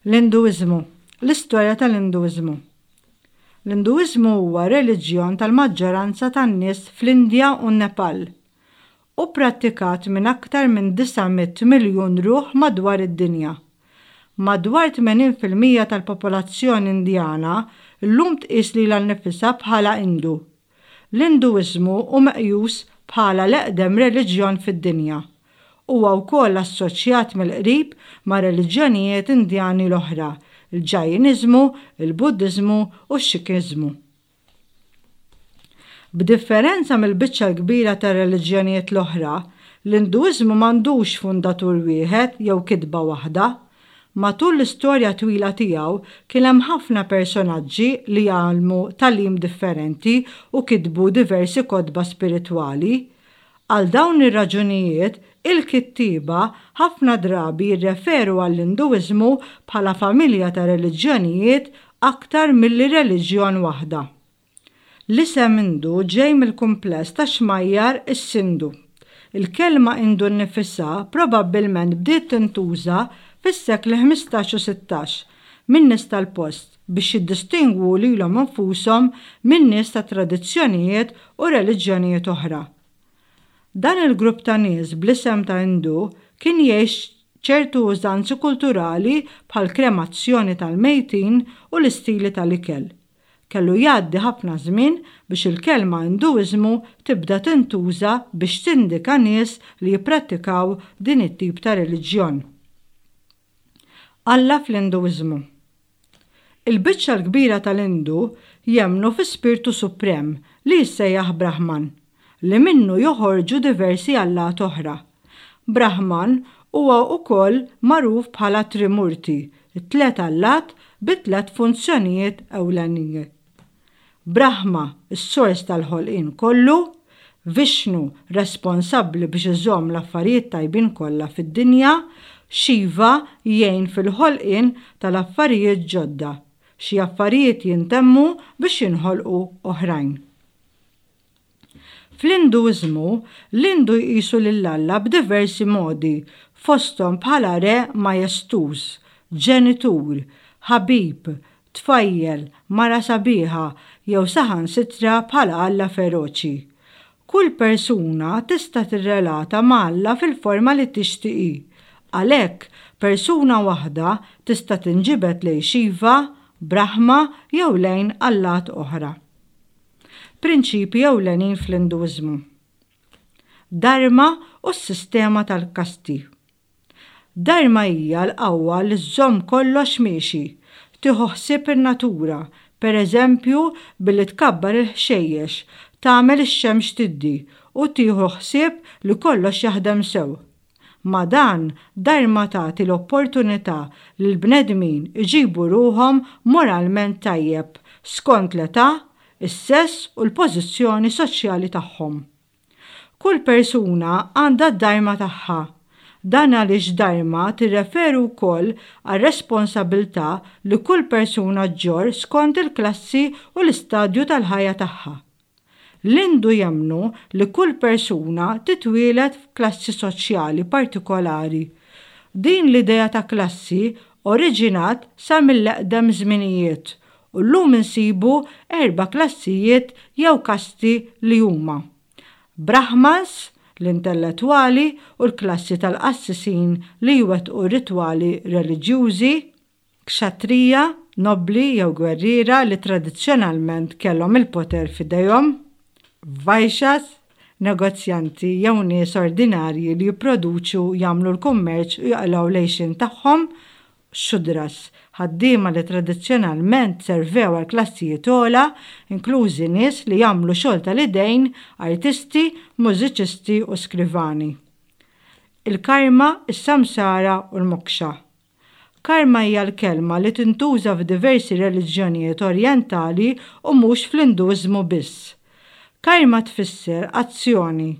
L-Induiżmu L-istorja tal-Induiżmu L-Induiżmu huwa reliġjon tal-maġġoranza tan-nies fl-Indja u n-Nepal. Hu pprattikat minn aktar minn 900 miljun ruħ madwar id-dinja. Madwar 80% tal-popolazzjoni Indjana llum tqis lilha nnifisha bħala Indu. L-Induiżmu hu meqjus bħala l-eqdem reliġjon fid-dinja. Huwa wkoll assoċjat mill-qrib mar-reliġjonijiet Indjani l-oħra, il-Ġajiniżmu, il-Buddiżmu u x-Xikiżmu. B'differenza mill-biċċa l-kbira tar-reliġjonijiet l-oħra, l-Induiżmu m'għandux fundatur wieħed jew kitba waħda. Matul l-istorja twila tiegħu kien hemm ħafna personaġġi li għallmu tagħlim differenti u kitbu diversi kotba spiritwali. Għal dawn ir-raġunijiet, il-kittieba ħafna drabi jirreferu għall-Induiżmu bħala familja ta' reliġjonijiet aktar milli reliġjon waħda. L-isem Indu ġej mill-kumpless ta' xmajjar is-Sindu. Il-kelma Indu nnifisha probabbilment bdiet tintuża fis-sekli 15 u 16 min-nies tal-post biex jiddistingwu lilhom infushom minn nies ta' tradizzjonijiet u reliġjonijiet oħra. Dan il-grupp ta' nies bl-isem ta' Indu kien jgħix ċertu użanzi kulturali bħall-kremazzjoni tal-mejtin u l-istili tal-ikel. Kellu jgħaddi ħafna żmien biex il-kelma Induiżmu tibda tintuża biex tindika nies li jipprattikaw din it-tip ta' reliġjon. Alla fl-Induiżmu Il-biċċa l-kbira tal-Indu jemmnu fi spirtu suprem li jissejjaħ Brahman, li minnu joħorġu diversi allat oħra. Brahman huwa wkoll magħruf bħala Trimurti, it-tliet allat bi tliet funzjonijiet ewlenin. Brahma, is-sors tal-ħolqien kollu, Vishnu, responsabbli biex iżomm l-affarijiet tajbin kollha fid-dinja, Shiva, jgħin fil-ħolqien tal-affarijiet ġodda, xi affarijiet jintemmu biex jinħolqu oħrajn. Fl-Induiżmu, l-Indu jqisu lil Alla b'diversi modi, fosthom bħala re majestuż, ġenitur, ħabib, tfajjel, mara sabiħa, jew saħansitra bħala alla feroċi. Kull persuna tista' tirrelata ma' Alla fil-forma li tixtieq hi. Għalhekk, persuna waħda tista' tinġibed lejn Shiva, Brahma jew lejn allat oħra. Prinċipji ewlenin fl-Induiżmu. Dharma u s-sistema tal-kasti. Dharma hija l-qawwa li żżomm kollox miexi, tieħu ħsieb in-natura, per eżempju billi tkabbar il-ħxejjex, tagħmel ix-xemx tiddi, u tieħu ħsieb li kollox jaħdem sew. Ma' dan, Dharma tagħti l-opportunità lill-bnedmin iġibu ruħhom moralment tajjeb skont l-età, is-sess u l-pożizzjoni soċjali tagħhom. Kull persuna għandha d-dharma tagħha. Dan għaliex dharma tirreferi wkoll għar-responsabilità li kull persuna ġġorr skont il-klassi u l-istadju tal-ħajja tagħha. L-Indu jemmnu li kull persuna titwieled f'klassi soċjali partikolari. Din l-idea ta' klassi oriġinat sa mill-eqdem żminijiet u llum insibu erba' klassijiet jew kasti li huma, Brahmans, l-intellettwali u l-klassi tal-qassisin li jwettqu ritwali reliġjużi, Kshatriya, nobbli jew gwerriera li tradizzjonalment kellhom il-poter f'idejhom, Vaishyas, negozjanti jew nies ordinarji li jipproduċu, jagħmlu l-kummerċ u jaqilgħu l-għixien tagħhom, Shudras, ħaddiema li tradizzjonalment servew għal klassijiet ogħla, inklużi nies li jagħmlu xogħol tal-idejn, artisti, mużiċisti u skrivani. Il-karma, is-samsara u l-moksha. Karma hija l-kelma li tintuża f'diversi reliġjonijiet orjentali u mhux fl-Induiżmu biss. Karma tfisser azzjoni.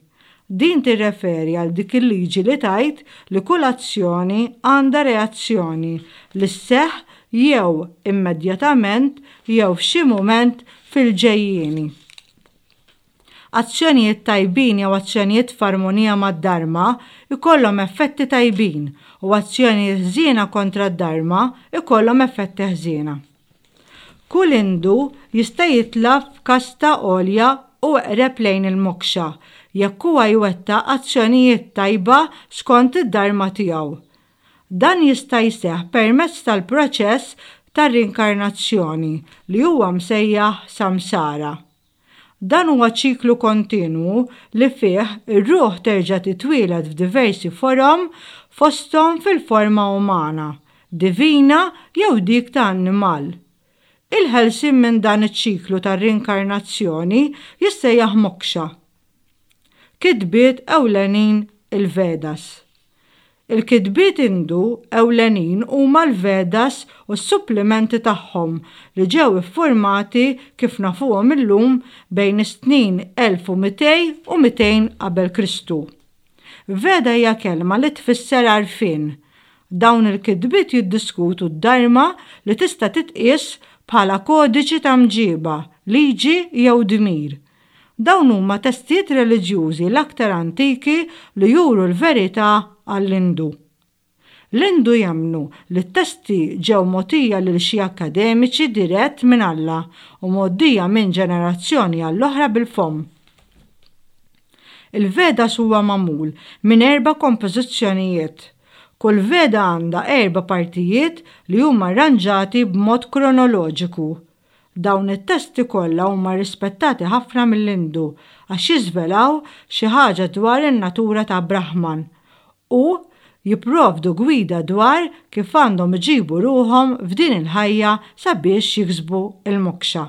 Din tirreferi għal dik il-liġi li tgħid li kull azzjoni għandha reazzjoni li sseħħ jew immedjatament jew f'xi mument fil-ġejjieni. Azzjonijiet tajbin jew azzjonijiet f'armonija mad-dharma jkollhom effetti tajbin u azzjonijiet ħżiena kontra d-dharma jkollhom effetti ħżiena. Kull Hindu jista' jitla' f'kasta għolja u eqreb lejn il-moksha jekk huwa jwettaq azzjonijiet tajba skont id-dharma tiegħu. Dan jista' jseħħ permezz tal-proċess tar-rinkarnazzjoni li huwa msejjaħ samsara. Dan huwa ċiklu kontinwu li fih ir-ruħ terġa' titwieled f'diversi forom fosthom fil-forma umana, divina jew dik ta' annimal. Il-ħelsien minn dan iċ-ċiklu tar-rinkarnazzjoni jissejjaħ moksha. Kitbiet ewlenin Il-Vedas. Il-kitbiet Indu ewlenin huma l-Vedas u s-supplimenti tagħhom li ġew iffurmati kif nafuhom illum bejn is-snin 1200 u 200 qabel Kristu. Veda hija kelma li tfisser għarfien. Dawn il-kitbiet jiddiskutu d-dharma li tista' titqies bħala kodiċi ta' mġiba, liġi jew dmir. Dawn huma testijiet reliġjużi l-aktar antiki li juru l-verità għall-Indu. L-Indu jemmnu li t-testi ġew mogħtija lil xi akkademiċi dirett minn Alla u mgħoddija minn ġenerazzjoni għall-oħra bil-fomm. Il-Vedas huwa magħmul minn erba' kompożizzjonijiet. Kull Veda għandha erba' partijiet li huma rranġati b'mod kronoloġiku. Dawn it-testi kollha huma rispettati ħafna mill-Indu għax jiżvelaw xi ħaġa dwar in-natura ta' Brahman u jipprovdu gwida dwar kif għandhom iġibu ruħhom f'din il-ħajja sabiex jiksbu l-moksha.